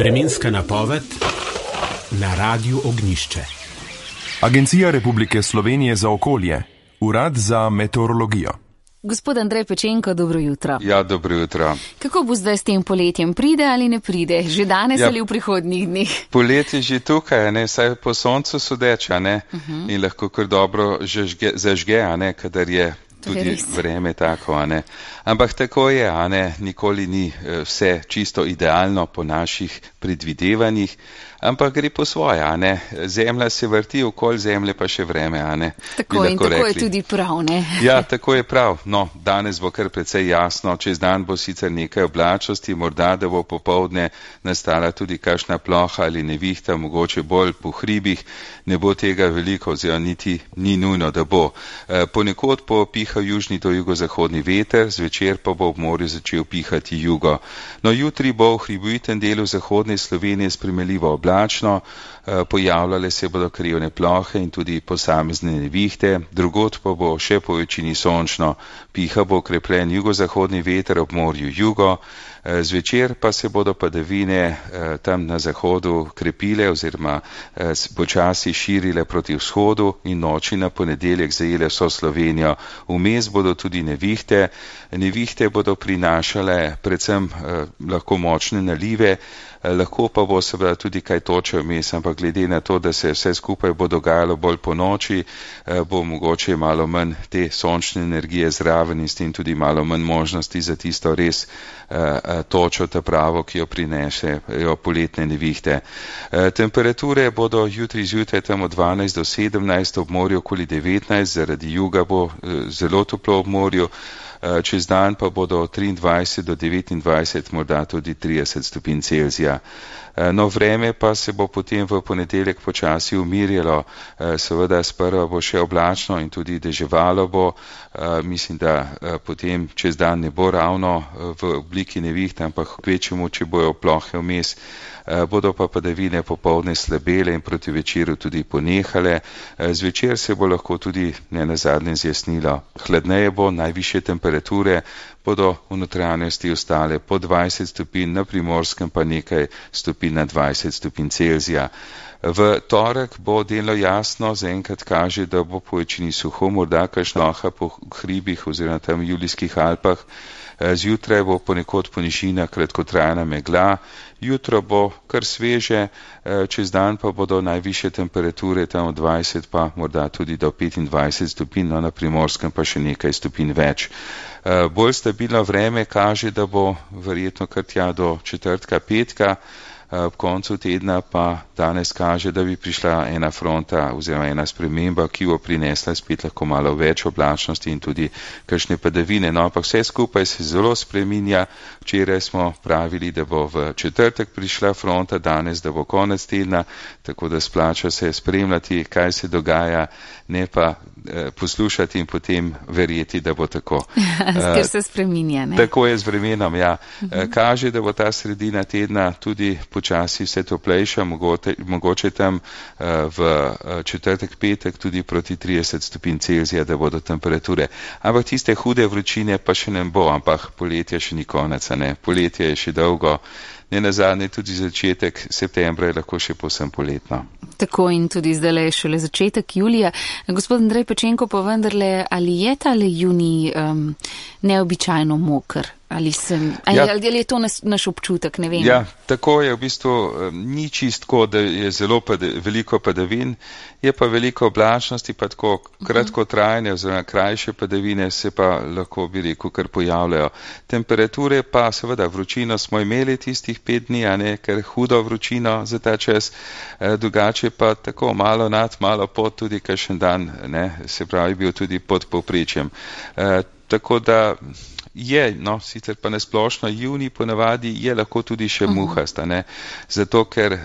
Vremenska napoved na Radiu Ognjišče. Agencija Republike Slovenije za okolje, Urad za meteorologijo. Gospod Andrej Pečenko, dobro jutro. Ja, dobro jutro. Kako bo zdaj s tem poletjem? Pride ali ne pride? Že danes ali v prihodnjih dneh? Poletje je že tukaj, saj po soncu sodeč, in lahko kar dobro zažge, kadar je tudi vreme tako, Ampak tako je, nikoli ni vse čisto idealno po naših predvidevanjih, ampak gre po svoje, Zemlja se vrti, okoli Zemlje pa še vreme, Tako in tako je tudi prav, Ja, tako je prav. No, danes bo kar precej jasno, čez dan bo sicer nekaj oblačnosti, morda da bo popoldne nastala tudi kakšna ploha ali nevihta, mogoče bolj po hribih, ne bo tega veliko, oziroma niti ni nujno, da bo. Ponekod bo pihal južni do jugozahodni veter, zvečer pa bo ob morju začel pihati jugo. No, jutri bo v hribovitem delu zahodne Slovenije spremenljivo oblačno, pojavljale se bodo krivne plohe in tudi posamezne nevihte, drugod pa bo še po večini sončno, piha bo okrepljen jugozahodni veter ob morju jugo, zvečer pa se bodo padavine tam na zahodu krepile oziroma počasi širile proti vzhodu in noči na ponedeljek zajele vso Slovenijo. Vmes bodo tudi nevihte. Nevihte bodo prinašale predvsem lahko močne nalive, lahko pa bo seveda tudi kaj toče vmes, ampak glede na to, da se vse skupaj bo dogajalo bolj po noči, bo mogoče malo manj te sončne energije zraven in s tem tudi malo manj možnosti za tisto res točo, ta pravo, ki jo prinesejo poletne nevihte. Temperature bodo jutri zjutraj tam od 12 do 17, ob morju okoli 19, zaradi juga bo zelo toplo ob morju, čez dan pa bodo 23 do 29, morda tudi 30 stopinj Celzija. No, vreme pa se bo potem v ponedeljek počasi umirjalo, seveda sprva bo še oblačno in tudi deževalo bo, mislim, da potem čez dan ne bo ravno v obliki neviht, ampak kvečjemu, če bojo plohe vmes, bodo pa padavine popoldne slabele in proti večeru tudi ponehale, zvečer se bo lahko tudi nenazadnje zjasnilo. Hladneje bo, najvišje temperature bodo v notranjosti ostale po 20 stopinj, na Primorskem pa nekaj stopinj na 20 stopinj Celzija. V torek bo delno jasno, zaenkrat kaže, da bo po večini suho, morda kakšna ploha po hribih oziroma tam v Julijskih Alpah, zjutraj bo ponekod po nižinah kratkotrajna megla, jutro bo kar sveže, čez dan pa bodo najvišje temperature tam od 20 pa morda tudi do 25 stopinj, no, na Primorskem pa še nekaj stopinj več. Bolj stabilno vreme kaže, da bo verjetno kar tja do četrtka, petka, ob koncu tedna pa danes kaže, da bi prišla ena fronta oziroma ena sprememba, ki bo prinesla spet lahko malo več oblačnosti in tudi kakšne padavine. No, ampak vse skupaj se zelo spreminja. Včeraj smo pravili, da bo v četrtek prišla fronta, danes, da bo konec tedna, tako da splača se spremljati, kaj se dogaja, ne pa poslušati in potem verjeti, da bo tako. Ker se spreminja, ne? Tako je z vremenom, ja. Kaže, da bo ta sredina tedna tudi počasi vse toplejša, mogoče tam v četrtek, petek tudi proti 30 stopinj Celzija, da bodo temperature. Ampak tiste hude vročine pa še ne bo, ampak poletje še ni konec, ne? Poletje je še dolgo. Nenazadnje tudi začetek septembra je lahko še povsem poletno. Tako in tudi zdaj je šele začetek julija. Gospod Andrej Pečenko, pa vendarle, ali je tale junij neobičajno moker? Ali je to naš občutek, ne vem. Ja, tako je v bistvu, ni čistko, da je zelo veliko padavin, je pa veliko oblačnosti, pa tako kratkotrajne oziroma krajše padavine se pa lahko bi rekel kar pojavljajo. Temperature pa seveda vročino smo imeli tistih 5 dni, ker hudo vročino za ta čas, drugače pa tako malo nad, malo pod, tudi kakšen dan, se pravi bil tudi pod povprečjem. Tako da je, sicer pa nesplošno, junij ponavadi je lahko tudi še muhast, zato ker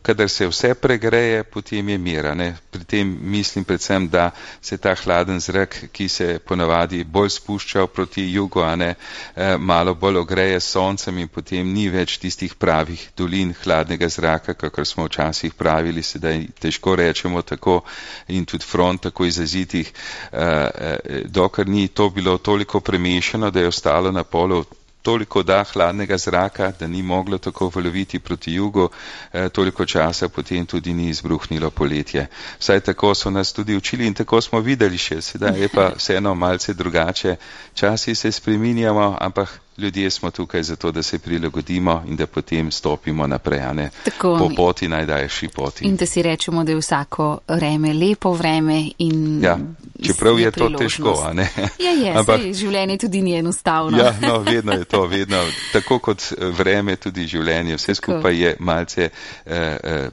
kadar se vse pregreje, potem je mir, Pri tem mislim predvsem, da se ta hladen zrak, ki se ponavadi bolj spušča proti jugu, malo bolj ogreje s soncem in potem ni več tistih pravih dolin hladnega zraka, kakor smo včasih pravili, sedaj težko rečemo tako in tudi front tako izrazitih, dokler ni to bilo toliko premešano, da je ostalo na polu toliko da hladnega zraka, da ni moglo tako valoviti proti jugu, toliko časa potem tudi ni izbruhnilo poletje. Vsaj tako so nas tudi učili in tako smo videli še, sedaj je pa vseeno malce drugače. Časi se spreminjamo, ampak ljudje smo tukaj zato, da se prilagodimo in da potem stopimo naprej, a ne po poti najdaljši poti. In da si rečemo, da je vsako vreme lepo vreme in ja, čeprav je to težko, a ne? Ampak življenje tudi ni enostavno. Ja, no, vedno je to, vedno. Tako kot vreme, tudi življenje. Vse skupaj je malce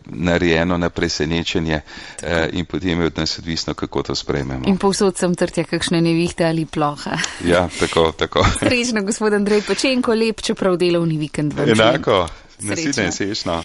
narejeno na presenečenje in potem je od nas odvisno, kako to sprejmemo. In povsod sem trtja kakšne nevihte ali ploha. Ja, tako. Srečno, gospod Andrej Pečenko, lep, čeprav delovni vikend vam želim. Enako, naslednje srečno.